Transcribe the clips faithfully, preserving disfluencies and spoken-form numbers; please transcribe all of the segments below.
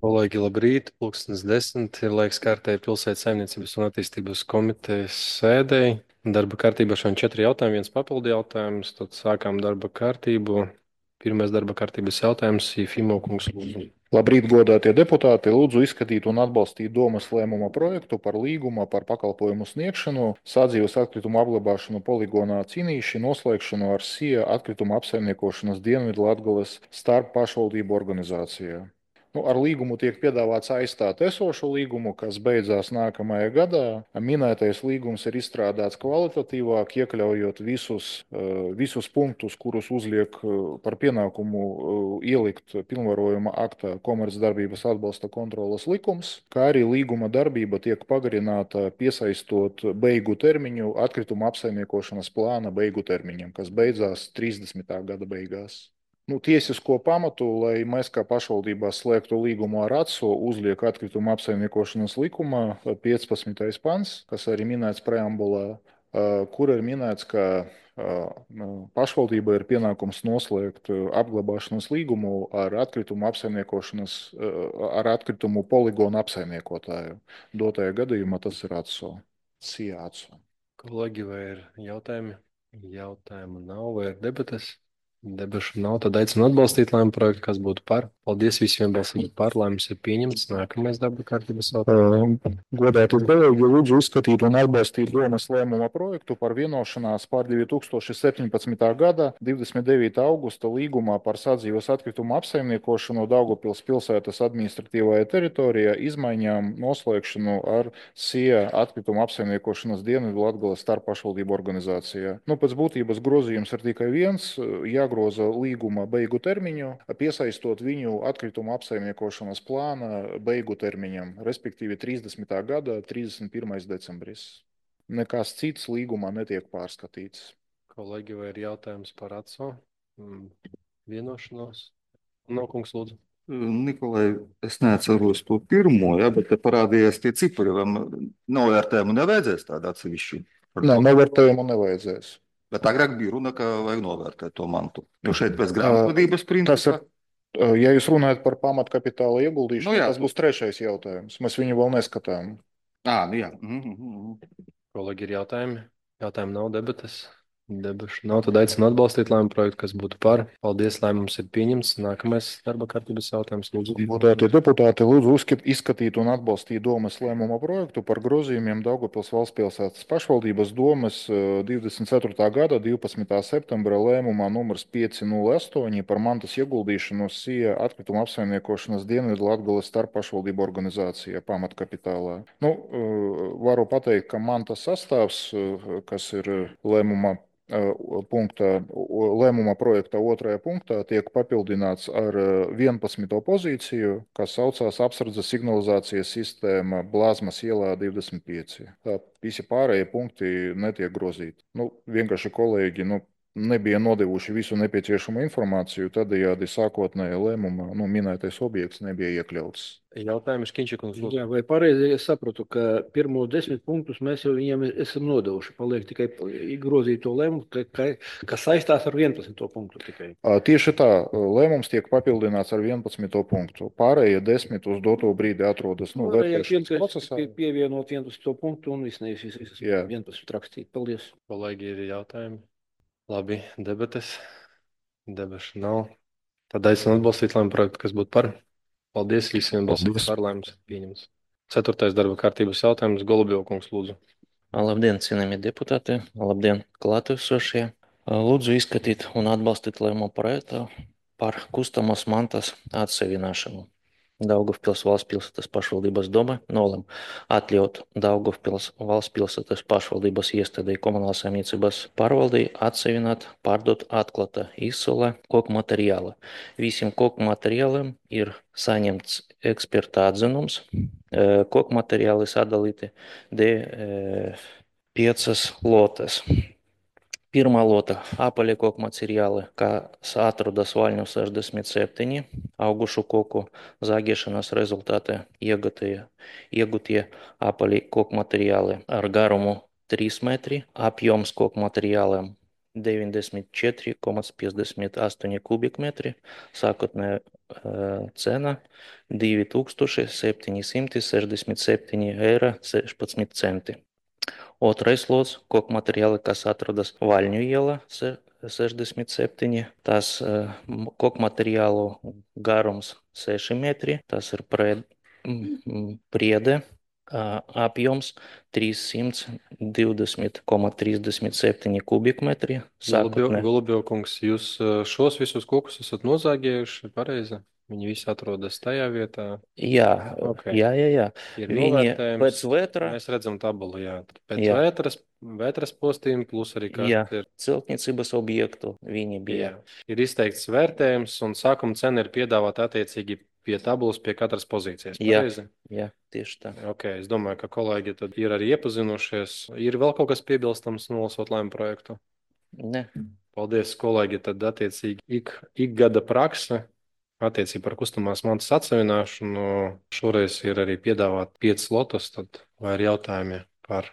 Kolēģi, labrīt! Pulkstens desmit ir laiks kārtēji pilsētas saimniecības un attīstības komitejas sēdēji. Darba kārtībā šodien četri jautājumi, viens papildu jautājums. Tad sākām darba kārtību. Pirmais darba kārtības jautājums ir Fimo kungs lūdzu. Labrīt, godātie deputāti! Lūdzu izskatīt un atbalstīt domas lēmuma projektu par līguma par pakalpojumu sniegšanu, sadzīves atkritumu apglabāšanu poligonā Cīnīši noslēgšanu ar SIA atkrituma apsaimniekošanas Dienvidlatgales starp pašvaldību organizācijā. Nu, ar līgumu tiek piedāvāts aizstāt esošo līgumu, kas beidzās nākamajā gadā. Minētais līgums ir izstrādāts kvalitatīvāk, iekļaujot visus, eh, visus punktus, kurus uzliek eh, par pienākumu eh, ielikt pilnvarojuma aktā komercdarbības atbalsta kontroles likums, kā arī līguma darbība tiek pagarināta piesaistot beigu termiņu atkrituma apsaimniekošanas plāna beigu termiņam, kas beidzās trīsdesmitā gada beigās. Nu, tiesisko pamatu, lai mēs kā pašvaldībā slēgtu līgumu ar ATSO, uzliek atkrituma apsaimniekošanas likumā piecpadsmitais pants, kas arī minēts preambulā, kur ir minēts, ka pašvaldība ir pienākums noslēgt apglabāšanas līgumu ar atkritumu apsaimniekošanas, ar atkritumu poligonu apsaimniekotāju. Dotajā gadījumā tas ir ATSO. SIA ATSO. Kolēģi, vai ir jautājumi? Jautājumu nav, vai ir debates? Debašu nav, tad aicinu atbalstīt lēmumu projektu, kas būtu par. Paldies visiem balsīgi par, lēmums ir pieņemts. Nākamais darba kārtības jautājums. Godātie kolēģi, lūdzu izskatīt un atbalstīt domas lēmuma projektu par vienošanās par divi tūkstoši septiņpadsmitā gada divdesmit devītā augusta līgumā par sadzīves atkritumu apsaimniekošanu Daugavpils pilsētas administratīvajā teritorijā izmaiņām noslēgšanu ar SIA atkritumu apsaimniekošanas Dienvidlatgales starppašvaldību organizācijā. Nu, pēc būtības grozījums ir tikai viens, jāgroza līguma beigu termiņu, piesaistot viņu atkritumu apsaimniekošanas plāna beigu termiņam, respektīvi trīsdesmitā gada trīsdesmit pirmais decembris. Nekas cits līgumā netiek pārskatīts. Kolēģi, vai ir jautājums par ATSO? Mm, Vienošanos? Nokungs lūdzu. Nikolai, es neatceros to pirmo, ja, bet te parādījās tie cipari, vai novērtējumu nevajadzēs tādu atsevišķu? Nē, novērtējumu nevajadzēs. Bet agrāk bija runa, ka vajag novērtēt to mantu. Jo šeit pēc grāmatvedības Tas principa. ir, ja jūs runājat par pamatkapitāla ieguldīšanu, Nu jā. tas būs trešais jautājums. Mēs viņu vēl neskatām. Ā, nu jā. Mhm, mhm. Kolēģi, ir jautājumi? Jautājumi nav, debates? Debašu nav, tad aicinu atbalstīt lēmumu projektu, kas būtu par. Paldies, lēmums ir pieņemts. Nākamais darba kārtības jautājums, lūdzu. Godātie deputāti, lūdzu uzskat- izskatīt un atbalstīt domas lēmuma projektu par grozījumiem Daugavpils valstspilsētas pašvaldības domas eh, divdesmit ceturtā gada divpadsmitā septembra lēmumā numurs pieci nulle astoņi par mantas ieguldīšanu SIA atkrituma apsaimniekošanas Dienvidlatgales starppašvaldību organizācijā pamatkapitālā. Nu, eh, varu pateikt, ka mantas sastāvs, eh, kas ir lēmumā punktā, lēmuma projekta otrajā punktā tiek papildināts ar vienpadsmito pozīciju, kas saucās apsardzes signalizācijas sistēma Blāzmas ielā divdesmit pieci. Tā visi pārējie punkti netiek grozīti. Nu, vienkārši kolēģi nu, nebija nodevuši visu nepieciešamo informāciju, tādējādi sākotnējā lēmumā nu, minētais objekts nebija iekļauts. Jautājums Kinčikungs lūdzu. Jā, vai pareizi es sapratu, ka pirmos desmit punktus mēs jau viņiem esam nodevuši. Paliek tikai grozīt to lēmumu, ka, ka, kas saistās ar vienpadsmito punktu tikai. Ā, Tieši tā, lēmums tiek papildināts ar vienpadsmito punktu. Pārējie desmit uz doto brīdi atrodas nu, Pārējie vērtēšanas tikai procesā. pie- pievienot vienpadsmito punktu un viss nevis visas Jā. vienpadsmit rakstīt. Paldies. Kolēģi, ir jautājumi? Labi, debates. Debašu nav. Tad aicinu atbalstīt lēmumu projektu, kas būtu par. Paldies visiem balsīgi par, lēmums ir pieņemts. Ceturtais darba kārtības jautājums Golubjovkungs lūdzu. Labdien, cienījamie deputāti! Labdien, klātesošie! Lūdzu izskatīt un atbalstīt lēmumu projektu par kustamās mantas atsevināšanu. Daugavpils valstspilsētas pašvaldības doma nolem atļaut Daugavpils valstspilsētas pašvaldības iestādei komunālās saimniecības pārvaldei atsevināt, pārdot atklāta izsole koku materiāla. Visiem koku materiāliem ir saņemts eksperta atzinums. Koku materiāli sadalīti de piecas lotes. Pirmā lota – apaļie koku materiāli, kas atrodas Vaļņu sešdesmit septiņi, augušu koku zāģēšanas rezultātā iegūtie, iegūtie apaļie koku materiāli ar garumu trīs metri, apjoms koku materiāliem deviņdesmit četri komats piecdesmit astoņi kubikmetri, sākotnējā uh, cena divi tūkstoši septiņi simti sešdesmit septiņi eiro sešpadsmit centi. Otrais lots - koku materiāli, kas atrodas Vaļņu iela sešdesmit septiņi. Tas uh, koku materiālu garums seši metri, tas ir pred, mm, priede. Uh, apjoms trīssimt divdesmit komats trīsdesmit septiņi kubikmetri. Sākotnē. Golubjov kungs, jūs uh, šos visus kokus esat nozāģējuši, pareizi? Viņi visi atrodas tajā vietā. Jā, Ok. jā, jā, jā. Ir Viņi novērtējums. pēc vētra, Mēs redzam tabulu, jā. Pēc Jā. vētras, vētras postījuma plus arī jā, kāds ir. celtniecības objektu viņi bija. Jā. Ir izteikts vērtējums un sākuma cena ir piedāvāta attiecīgi pie tabulas, pie katras pozīcijas. Jā. Pareizi? Jā, tieši tā. Ok, es domāju, ka kolēģi tad ir arī iepazinušies. Ir vēl kaut kas piebilstams nolasot lēmumu projektu? Ne. Paldies, kolēģi. Tad attiecīgi ik, ik gada prakse attiecīgi par kustamās mantas atsevināšanu. Šoreiz ir arī piedāvāt piecas lotus, tad vai ir jautājumi par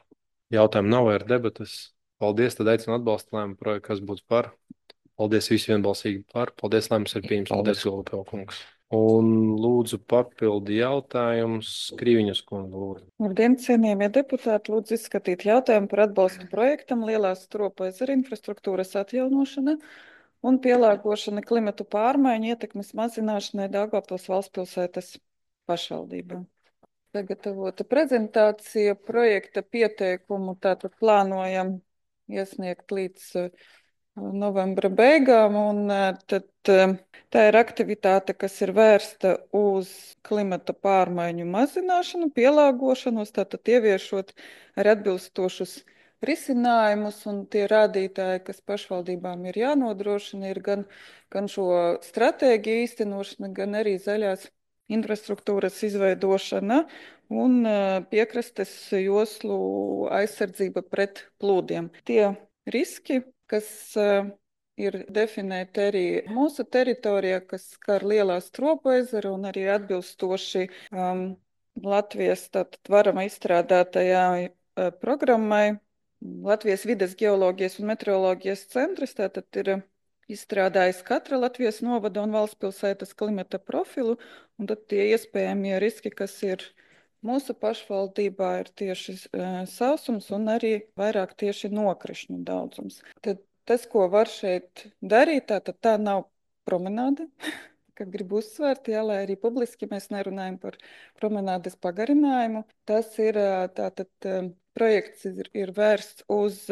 jautājumu nav, vai ir debatas. Paldies, tad aicinu atbalstu lēmumu projektu, kas būtu par. Paldies visi vienbalsīgi par. Paldies, lēmums ir pieņems. Paldies, Golubjov kungs. Un lūdzu papildi jautājums Krīviņas kungu lūdzu. Labdien, cienījamie deputāti! Lūdzu izskatīt jautājumu par atbalstu projektam Lielās Stropu ezera infrastruktūras atjaunošana un pielāgošana klimatu pārmaiņu ietekmes mazināšanai Daugavpils valstspilsētas pašvaldībā. Sagatavota prezentācija projekta pieteikumu tātad plānojam iesniegt līdz uh, novembra beigām, un uh, tad uh, tā ir aktivitāte, kas ir vērsta uz klimata pārmaiņu mazināšanu, pielāgošanos, tātad ieviešot ar atbilstošus risinājumus, un tie rādītāji, kas pašvaldībām ir jānodrošina, ir gan, gan šo stratēģiju īstenošana, gan arī zaļās infrastruktūras izveidošana un piekrastes joslu aizsardzība pret plūdiem. Tie riski, kas ir definēti arī mūsu teritorijā, kas skar Lielā Stropu ezeru un arī atbilstoši um, Latvijas tātad varama izstrādātajā uh, programmai. Latvijas vides geoloģijas un meteoroloģijas centrs tātad ir izstrādājis katra Latvijas novada un valstspilsētas klimata profilu, un tad tie iespējamie riski, kas ir mūsu pašvaldībā, ir tieši uh, sausums un arī vairāk tieši nokrišņu daudzums. Tad tas, ko var šeit darīt, tātad tā nav promenāde, ka gribu uzsvērt, jā, lai arī publiski mēs nerunājam par promenādes pagarinājumu. Tas ir tātad projekts ir, ir vērsts uz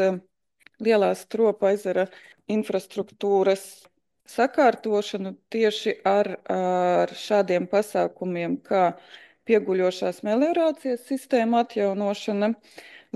Lielā Stropa ezera infrastruktūras sakārtošanu tieši ar, ar šādiem pasākumiem, kā pieguļošās meliorācijas sistēma atjaunošana,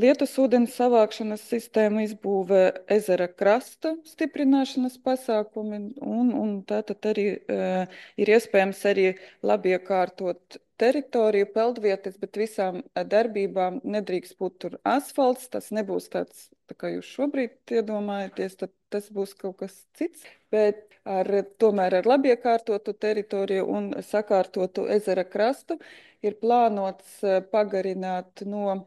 lietus ūdens savākšanas sistēma izbūve, ezera krasta stiprināšanas pasākumi, un, un tātad arī uh, ir iespējams arī labi iekārtot teritoriju, peldvietas, bet visām darbībām nedrīkst būt tur asfalts, tas nebūs tāds, tā kā jūs šobrīd iedomājaties, tad tas būs kaut kas cits, bet ar, tomēr ar labi iekārtotu teritoriju un sakārtotu ezera krastu ir plānots pagarināt no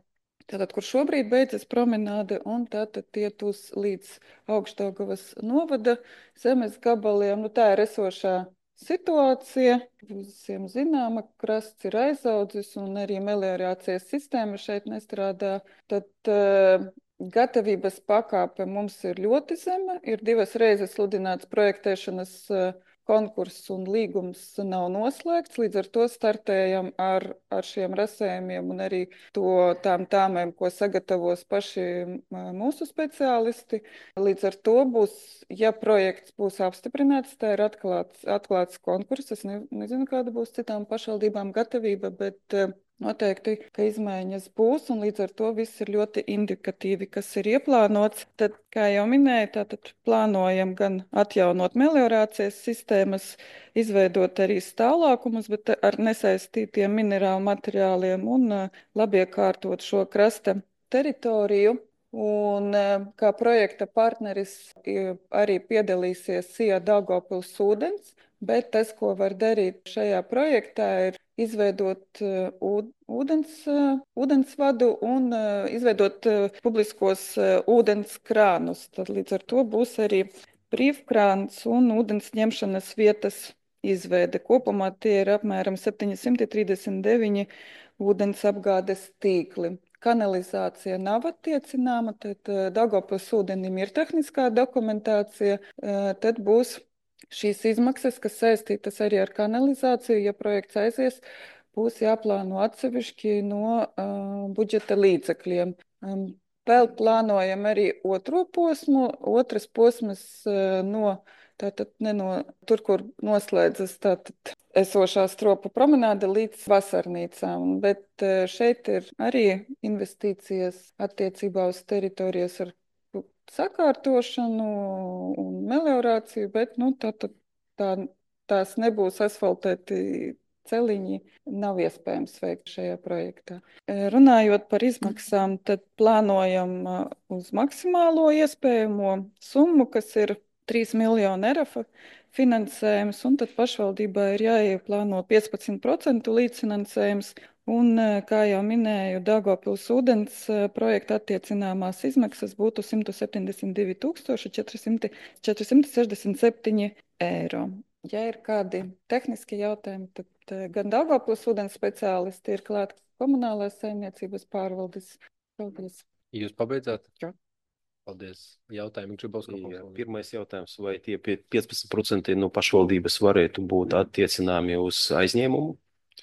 Tātad, kur šobrīd beidzas promenāde, un tātad iet uz līdz Augšdaugavas novada zemes gabaliem. Nu, tā ir esošā situācija. Visiem zināma, krasts ir aizaudzis, un arī meliorācijas sistēma šeit nestrādā. Tad uh, gatavības pakāpe mums ir ļoti zema. Ir divas reizes sludināts projektēšanas uh, konkurss un līgums nav noslēgts, līdz ar to startējam ar, ar šiem rasējumiem un arī to tām tāmēm, ko sagatavos paši mūsu speciālisti. Līdz ar to būs, ja projekts būs apstiprināts, tā ir atklāts, atklāts konkurss. Es ne, nezinu, kāda būs citām pašvaldībām gatavība, bet noteikti, ka izmaiņas būs, un līdz ar to viss ir ļoti indikatīvi, kas ir ieplānots. Tad, kā jau minēju, tātad plānojam gan atjaunot meliorācijas sistēmas, izveidot arī stāvlākumus, bet ar nesaistītiem minerālu materiāliem un labi iekārtot šo krasta teritoriju. Un kā projekta partneris arī piedalīsies Sija Daugavpils ūdens, bet tas, ko var darīt šajā projektā, ir izveidot uh, ūd- ūdens, uh, ūdensvadu un uh, izveidot uh, publiskos uh, ūdens krānus. Tad līdz ar to būs arī brīvkrāns un ūdens ņemšanas vietas izveide. Kopumā tie ir apmēram septiņsimt trīsdesmit deviņi ūdens apgādes tīkli. Kanalizācija nav attiecināma, tad uh, Daugavpils ūdenim ir tehniskā dokumentācija, uh, tad būs šīs izmaksas, kas saistītas arī ar kanalizāciju, ja projekts aizies, būs jāplāno atsevišķi no uh, budžeta līdzekļiem. Um, vēl plānojam arī otro posmu, otras posmas uh, no, tātad ne no tur, kur noslēdzas tātad esošā stropu promenāde līdz vasarnīcām, bet uh, šeit ir arī investīcijas attiecībā uz teritorijas ar sakārtošanu un meliorāciju, bet nu, tā, tā, tā, tās nebūs asfaltēti celiņi, nav iespējams veikt šajā projektā. Runājot par izmaksām, tad plānojam uz maksimālo iespējamo summu, kas ir trīs miljoni R F finansējums, un tad pašvaldībā ir jāieplāno piecpadsmit procentu līdzfinansējums. Un, kā jau minēju, Daugavpils ūdens projekta attiecināmās izmaksas būtu simt septiņdesmit divi tūkstoši četri simti sešdesmit septiņi eiro. Ja ir kādi tehniski jautājumi, tad gan Daugavpils ūdens speciālisti ir klāt komunālās saimniecības pārvaldes. Paldies. Jūs pabeidzāt? Jā. Paldies. Jautājumi Jā, pirmais jautājums, vai tie piecpadsmit procenti no pašvaldības varētu būt attiecināmi uz aizņēmumu?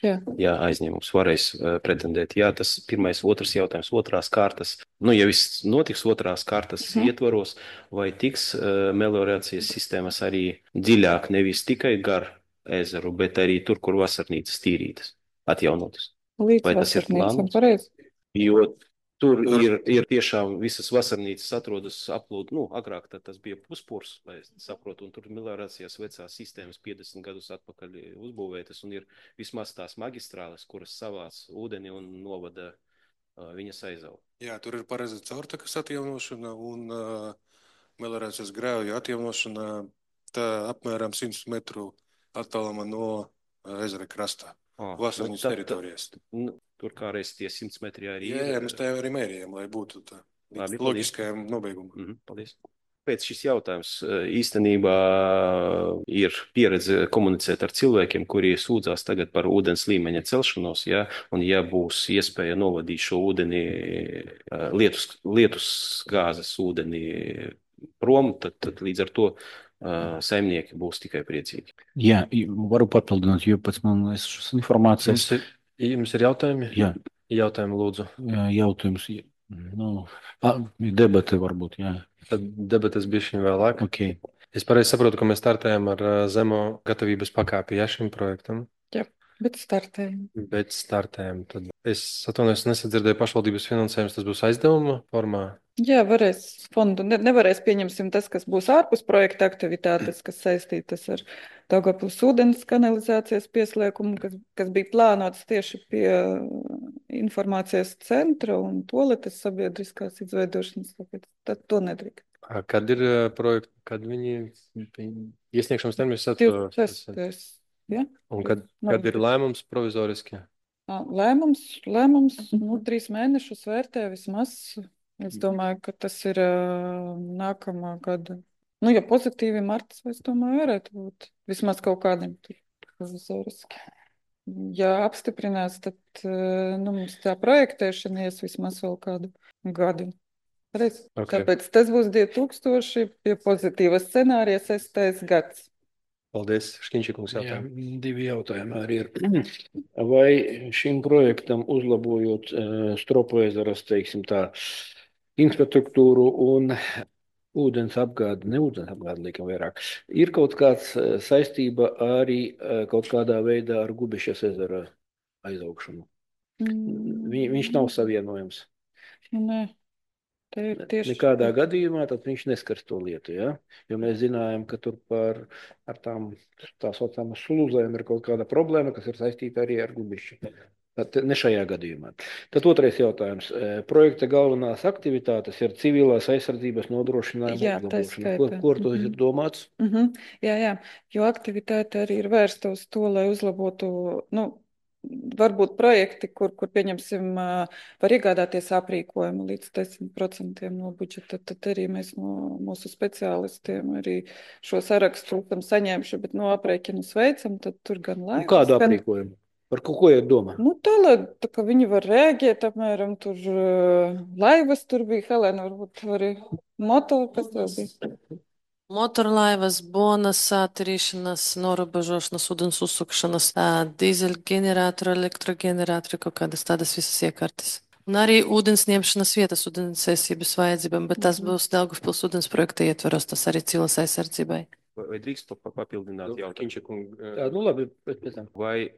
Jā. Jā, aizņēmums varēs uh, pretendēt. Jā, tas pirmais, otrs jautājums, otrās kārtas. Nu, ja viss notiks otrās kārtas Mhm. ietvaros, vai tiks uh, meliorācijas sistēmas arī dziļāk, nevis tikai gar ezeru, bet arī tur, kur vasarnīcas tīrītas, atjaunotas. Līdz Vai tas ir vasarnīcam, plānots? pareizi. Jo tur ir, ir tiešām visas vasarnīcas atrodas aplūd, nu, agrāk tad tas bija puspurs, lai es saprotu, un tur meliorācijas vecās sistēmas piecdesmit gadus atpakaļ uzbūvētas, un ir vismaz tās magistrāles, kuras savāc ūdeni un novada uh, viņas aizavu. Jā, tur ir paredzēta caurtekas atjaunošana un uh, meliorācijas grēvju atjaunošana tā apmēram simt metru attālumā no uh, ezera krastā, Ah, vasarnīcas nu, tad- teritorijas. Nu, tur kā reiz tie simts metri arī Jā, jā, ir. mēs tā jau arī mērījām, lai būtu tā Labi, līdz paldies. loģiskajam nobeigumam. Mhm, paldies. Pēc šis jautājums eh, īstenībā ir pieredze komunicēt ar cilvēkiem, kuri sūdzās tagad par ūdens līmeņa celšanos, ja, un ja būs iespēja novadīt šo ūdeni, eh, lietus, lietus gāzes ūdeni prom, tad, tad līdz ar to eh, saimnieki būs tikai priecīgi. Jā, varu papildināt, jo pēc man esas Jums informācijas ir, jums ir jautājumi? Jā. Jautājumi, lūdzu. jā, jautājums. Nu, pa- debate varbūt, jā. Tad debates bišķiņ vēlāk. Ok. Es pareizi saprotu, ka mēs startējam ar ā, zemo gatavības pakāpi, ja, šim projektam, Bet startējam. bet startējam. Tad es atvainojos, nesadzirdēju pašvaldības finansējums, tas būs aizdevuma formā. Jā, varēs fondu. Ne, nevarēs pieņemsim tas, kas būs ārpus projekta aktivitātes, kas saistītas ar Daugavpils ūdens kanalizācijas pieslēgumu, kas, kas bija plānots tieši pie informācijas centra un toaletes sabiedriskās izveidošanas. Tāpēc tad to nedrīkst. Ā, Kad ir ā, projekti, kad viņi viņi- iesniegšanas termiņš divdesmit atver? sestais Ja? Un kad, kad ir lēmums provizoriski? Ā, Lēmums, lēmums nu, trīs mēnešus vērtē vismaz. Es domāju, ka tas ir ā, nākamā gada. Nu, ja pozitīvi marts, es domāju, varētu būt vismaz kaut kādiem tur provizoriski. Ja apstiprinās, tad ā, nu, mums tā projektēšana ies vismaz vēl kādu gadu. Reiz. Ok. Tāpēc tas būs divi tūkstoši, pie pozitīva scenārija sestais gads. Paldies, Škiņšikungs Jā, jautājumu. divi jautājumi arī ir. Vai šim projektam uzlabojot uh, Stropu ezeras, teiksim tā, infrastruktūru un ūdens apgādi, ne ūdens apgādi, liekam vairāk, ir kaut kāds uh, saistība arī uh, kaut kādā veidā ar Gubišas ezera aizaugšanu? Vi, viņš nav savienojams. Nu, nē, te ir tieši. Nekādā gadījumā tad viņš neskars to lietu, ja? Jo mēs zinājām, ka tur par ar tām tā saucamām slūzēm ir kaut kāda problēma, kas ir saistīta arī ar Gubišu. Tad ne šajā gadījumā. Tad otrais jautājums. E, Projekta galvenās aktivitātes ir civilās aizsardzības nodrošinājuma Jā, tā uzlabošana. Ko, skaitā. ko ar to Mhm. ir domāts? Mhm. Jā, jā, jo aktivitāte arī ir vērsta uz to, lai uzlabotu nu, varbūt projekti, kur, kur pieņemsim, var iegādāties aprīkojumu līdz desmit procentiem no budžeta. Tad arī mēs no mūsu speciālistiem arī šo sarakstu esam saņēmuši, bet no aprēķinus veicam, tad tur gan Nu, laivas. kādu gan- aprīkojumu? Par ko, ko ir domā? Nu, tā, lai tā, ka viņi var rēģēt, apmēram, tur uh, laivas, tur bija Helēna, varbūt arī motori, kas tev bija. Motorlaivas, bonas, ātrīšanas, norobežošanas, ūdens uzsukšanas, ā, dīzeļģeneratoru, elektroģeneratoru, kaut kādas tādas visas iekārtas. Un arī ūdens ņemšanas vietas ūdens aizsardzības vajadzībām, bet tas būs Daugavpils ūdens projekta ietvaros, tas arī cilas aizsardzībai. Vai, vai drīkst pa- pa- papildināt jautājumu? Kinča kunga, Jā, nu labi, bet pēc tam. Vai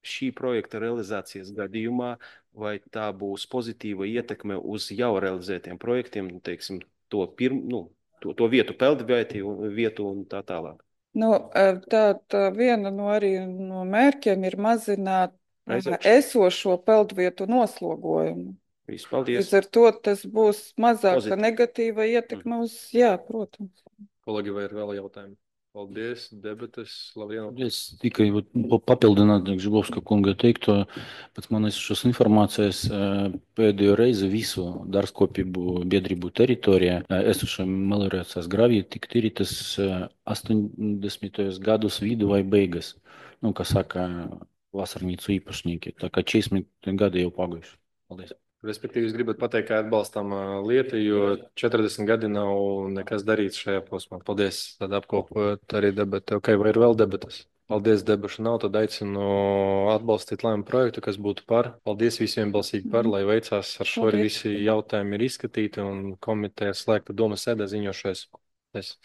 šī projekta realizācijas gadījumā, vai tā būs pozitīva ietekme uz jau realizētiem projektiem, nu, teiksim, to, pirm, nu, to, to vietu peldvietu un vietu un tā tālāk? Nu, eh, tā, tā viena no arī no mērķiem ir mazināt eh, Aizbraukšanu. esošo peldvietu noslogojumu. Viss, paldies. Līdz ar to tas būs mazāka Pozitīvi. negatīva ietekme uz, jā, protams. kolēģi, vai ir vēl jautājumi? Paldies, debates, Lavrieno. Es tikai vat pa- papildinātu Žibovska kunga teikto, pēc manis šos informācijas eh, pēdējo reizi visu dārzkopību biedrību teritorijā eh, esošiem meliorācijas graviju tika tīrītas eh, astoņdesmitajos gadus vidu vai beigas. Nu, kā saka, vasarnīcu īpašnieki. Tā kā četrdesmit gadi jau pagājuši. Paldies. Respektīvi, es gribētu pateikt, ka atbalstam ā, lietu, jo četrdesmit gadi nav nekas darīts šajā posmā. Paldies, tad apkopot arī debati. Ok, vai ir vēl debatas? Paldies, debašu nav, tad aicinu atbalstīt lēmumu projektu, kas būtu par. Paldies visiem balsīgi par, lai veicās ar šo arī Paldies. visi jautājumi ir izskatīti un komiteja slēgta domas sēdē ziņošais. Paldies.